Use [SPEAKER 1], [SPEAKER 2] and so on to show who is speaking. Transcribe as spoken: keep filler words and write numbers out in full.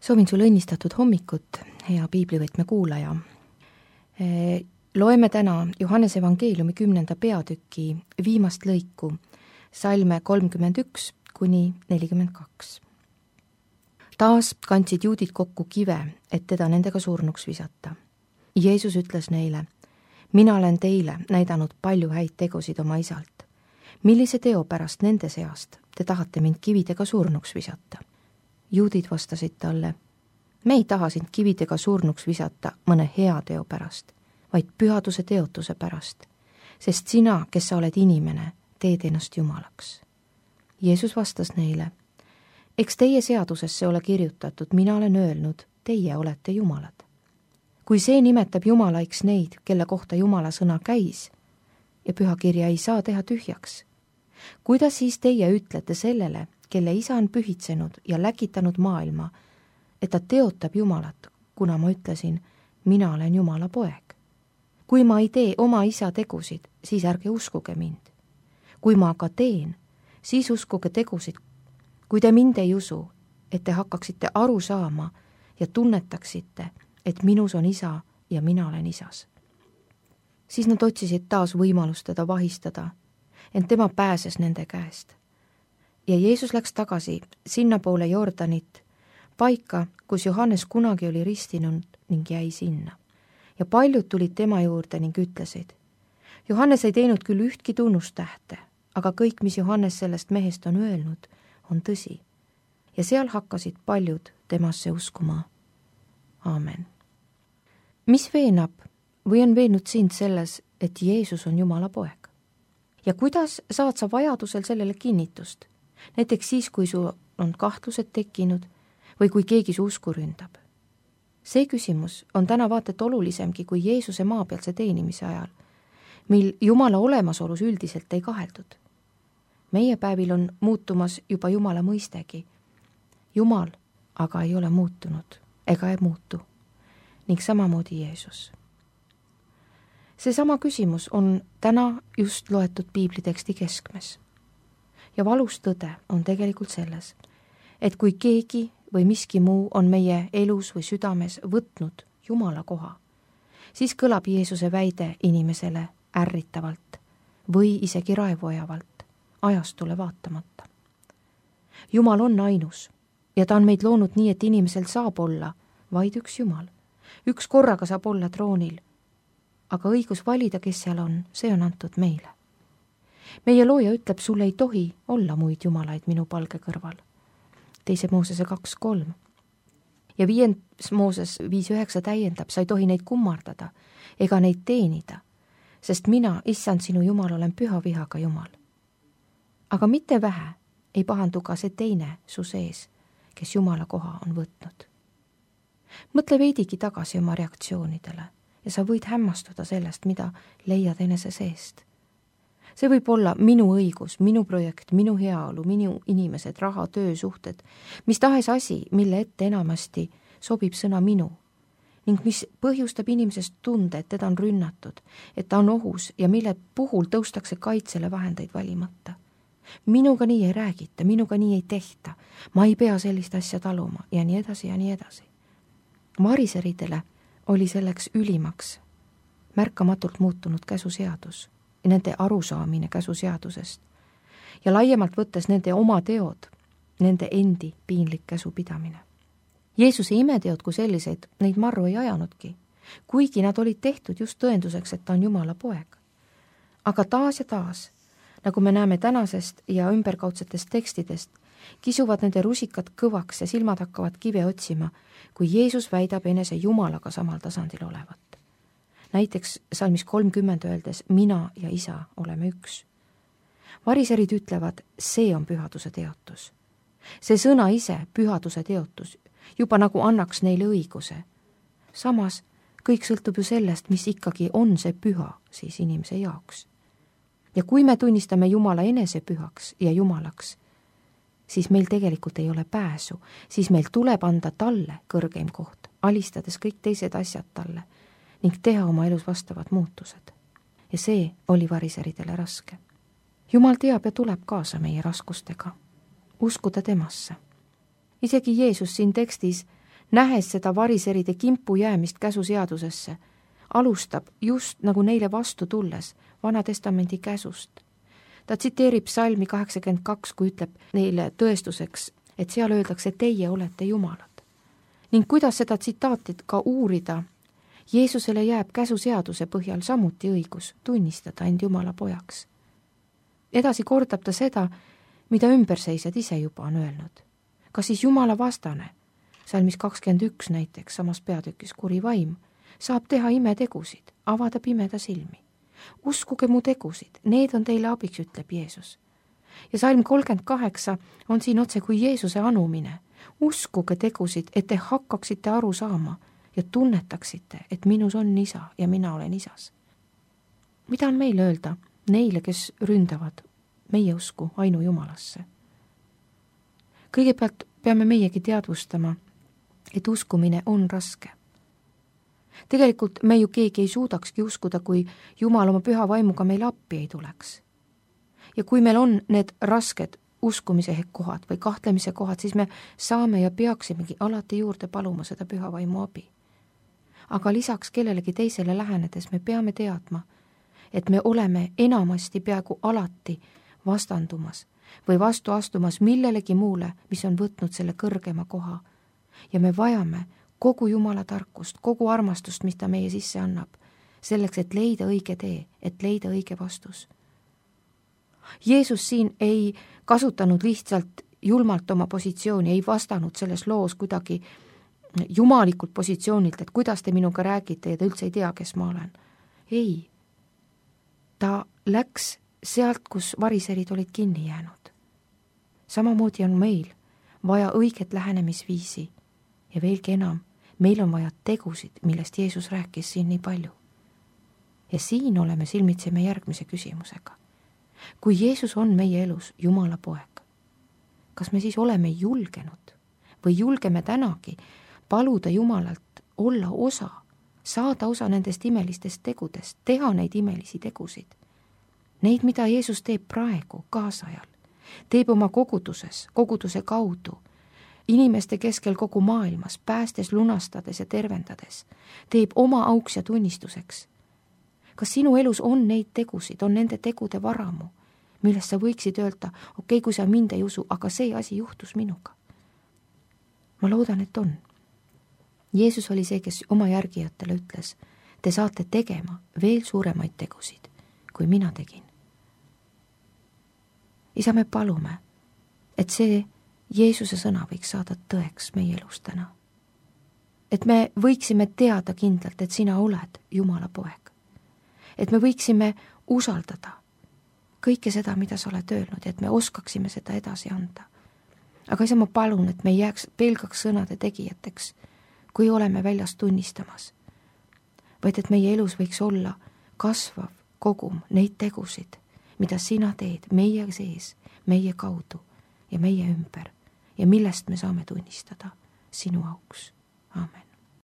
[SPEAKER 1] Soovin sulle õnnistatud hommikut, hea piiblivõtme kuulaja. Loeme täna Johannese evangeeliumi kümnenda peatüki viimast lõiku, salme kolmkümmend üks kuni nelikümmend kaks. Taas kandsid juudid kokku kive, et teda nendega surnuks visata. Jeesus ütles neile, mina olen teile näidanud palju häid tegusid oma isalt. Millise teo pärast nende seast te tahate mind kividega surnuks visata? Juudid vastasid talle, me ei taha sind kividega surnuks visata mõne hea teo pärast, vaid pühaduse teotuse pärast, sest sina, kes sa oled inimene, teed ennast jumalaks. Jeesus vastas neile, eks teie seadusesse ole kirjutatud, mina olen öelnud, teie olete jumalad. Kui see nimetab jumalaiks neid, kelle kohta jumala sõna käis, ja pühakirja ei saa teha tühjaks, kuidas siis teie ütlete sellele, kelle isa on pühitsenud ja läkitanud maailma, et ta teotab Jumalat, kuna ma ütlesin, mina olen Jumala poeg. Kui ma ei tee oma isa tegusid, siis ärge uskuge mind. Kui ma aga teen, siis uskuge tegusid. Kui te mind ei usu, et te hakkaksite aru saama ja tunnetaksite, et minus on isa ja mina olen isas. Siis nad otsisid taas võimalust teda vahistada, ent tema pääses nende käest. Ja Jeesus läks tagasi sinna poole Jordanit, paika, kus Johannes kunagi oli ristinud ning jäi sinna. Ja paljud tulid tema juurde ning ütlesid, Johannes ei teinud küll ühtki tunnustähte, aga kõik, mis Johannes sellest mehest on öelnud, on tõsi. Ja seal hakkasid paljud temasse uskuma. Aamen. Mis veenab või on veennud sind selles, et Jeesus on Jumala poeg? Ja kuidas saad sa vajadusel sellele kinnitust? Näiteks siis, kui sul on kahtlused tekkinud või kui keegi su usku ründab. See küsimus on täna vaatet olulisemgi kui Jeesuse maapealse teenimise ajal, mil Jumala olemasolus üldiselt ei kaheldud. Meie päevil on muutumas juba Jumala mõistegi. Jumal aga ei ole muutunud ega ei muutu ning samamoodi Jeesus. See sama küsimus on täna just loetud piibliteksti keskmes. Ja valus tõde on tegelikult selles, et kui keegi või miski muu on meie elus või südames võtnud Jumala koha, siis kõlab Jeesuse väide inimesele ärritavalt või isegi raevuajavalt, ajastule vaatamata. Jumal on ainus ja ta on meid loonud nii, et inimesel saab olla vaid üks Jumal. Üks korraga saab olla troonil, aga õigus valida, kes seal on, see on antud meile. Meie looja ütleb, sul ei tohi olla muid jumalaid minu palge kõrval. Teise Moosese kaks kolm. Ja viies Mooses viis üheksa täiendab, sa ei tohi neid kummardada ega neid teenida, sest mina, issand sinu Jumal, olen püha vihaga Jumal. Aga mitte vähe ei pahandu ka see teine su sees, kes Jumala koha on võtnud. Mõtle veidigi tagasi oma reaktsioonidele ja sa võid hämmastuda sellest, mida leiad enese seest. See võib olla minu õigus, minu projekt, minu heaolu, minu inimesed, raha, töö, suhted, mis tahes asi, mille ette enamasti sobib sõna minu ning mis põhjustab inimesest tunde, et teda on rünnatud, et ta on ohus ja mille puhul tõustakse kaitsele vahendeid valimata. Minuga nii ei räägita, minuga nii ei tehta, ma ei pea sellist asja taluma ja nii edasi ja nii edasi. Variseridele oli selleks ülimaks märkamatult muutunud käsuseadus. Nende arusaamine käsuseadusest ja laiemalt võttes nende oma teod, nende endi piinlik käsupidamine. Jeesuse imeteod kui selliseid neid marru ei ajanudki, kuigi nad olid tehtud just tõenduseks, et ta on Jumala poeg. Aga taas ja taas, nagu me näeme tänasest ja ümberkaudsetest tekstidest, kisuvad nende rusikad kõvaks ja silmad hakkavad kive otsima, kui Jeesus väidab enese Jumalaga samal tasandil olevat. Näiteks salmis kolmkümmend öeldes, mina ja isa oleme üks. Variserid ütlevad, see on pühaduse teotus. See sõna ise, pühaduse teotus, juba nagu annaks neile õiguse. Samas, kõik sõltub ju sellest, mis ikkagi on see püha siis inimese jaoks. Ja kui me tunnistame Jumala enese pühaks ja Jumalaks, siis meil tegelikult ei ole pääsu, siis meil tuleb anda talle kõrgeim koht, alistades kõik teised asjad talle ning teha oma elus vastavad muutused. Ja see oli variseridele raske. Jumal teab ja tuleb kaasa meie raskustega. Uskuda temasse. Isegi Jeesus siin tekstis nähes seda variseride kimpu jäämist käsuseadusesse, alustab just nagu neile vastu tulles Vana Testamendi käsust. Ta tsiteerib Psalmi kaheksakümmend kaks, kui ütleb neile tõestuseks, et seal öeldakse, teie olete jumalad. Ning kuidas seda tsitaati ka uurida, Jeesusele jääb käsuseaduse põhjal samuti õigus tunnistada end Jumala pojaks. Edasi kordab ta seda, mida ümberseisjad ise juba on öelnud. Kas siis Jumala vastane, salmis kakskümmend üks näiteks, samas peatükis kuri vaim, saab teha imetegusid, avada pimeda silmi. Uskuge mu tegusid, need on teile abiks, ütleb Jeesus. Ja salm kolmkümmend kaheksa on siin otse kui Jeesuse anumine. Uskuge tegusid, et te hakkaksite aru saama ja tunnetaksite, et minus on isa ja mina olen isas. Mida on meil öelda neile, kes ründavad meie usku ainu Jumalasse? Kõigepealt peame meiegi teadvustama, et uskumine on raske. Tegelikult me ju keegi ei suudakski uskuda, kui Jumal oma püha vaimuga meil appi ei tuleks. Ja kui meil on need rasked uskumise kohad või kahtlemise kohad, siis me saame ja peaksimegi alati juurde paluma seda püha vaimu abi. Aga lisaks kellelegi teisele lähenedes me peame teadma, et me oleme enamasti peaaegu alati vastandumas või vastu astumas millelegi muule, mis on võtnud selle kõrgema koha. Ja me vajame kogu Jumala tarkust, kogu armastust, mis ta meie sisse annab, selleks, et leida õige tee, et leida õige vastus. Jeesus siin ei kasutanud lihtsalt julmalt oma positsiooni, ei vastanud selles loos kuidagi jumalikult positsioonilt, et kuidas te minuga räägite ja te üldse ei tea, kes ma olen. Ei, ta läks sealt, kus variserid olid kinni jäänud. Samamoodi on meil vaja õiget lähenemisviisi ja veelgi enam, meil on vaja tegusid, millest Jeesus rääkis siin nii palju. Ja siin oleme silmitseme järgmise küsimusega. Kui Jeesus on meie elus Jumala poeg, kas me siis oleme julgenud või julgeme tänagi paluda Jumalalt olla osa, saada osa nendest imelistest tegudest, teha neid imelisi tegusid? Neid, mida Jeesus teeb praegu, kaasajal, teeb oma koguduses, koguduse kaudu, inimeste keskel kogu maailmas, päästes, lunastades ja tervendades, teeb oma auks ja tunnistuseks. Kas sinu elus on neid tegusid, on nende tegude varamu, millest sa võiksid öelda, okei, okay, kui sa mind ei usu, aga see asi juhtus minuga? Ma loodan, et on. Jeesus oli see, kes oma järgijatele ütles, te saate tegema veel suuremaid tegusid, kui mina tegin. Isa, me palume, et see Jeesuse sõna võiks saada tõeks meie elus täna. Et me võiksime teada kindlalt, et sina oled Jumala poeg. Et me võiksime usaldada kõike seda, mida sa oled öelnud, et me oskaksime seda edasi anda. Aga isa, ma palun, et me ei jääks pelgaks sõnade tegijateks, kui oleme väljas tunnistamas, vaid et meie elus võiks olla kasvav kogum neid tegusid, mida sina teed meie sees, meie kaudu ja meie ümber ja millest me saame tunnistada sinu auks. Aamen.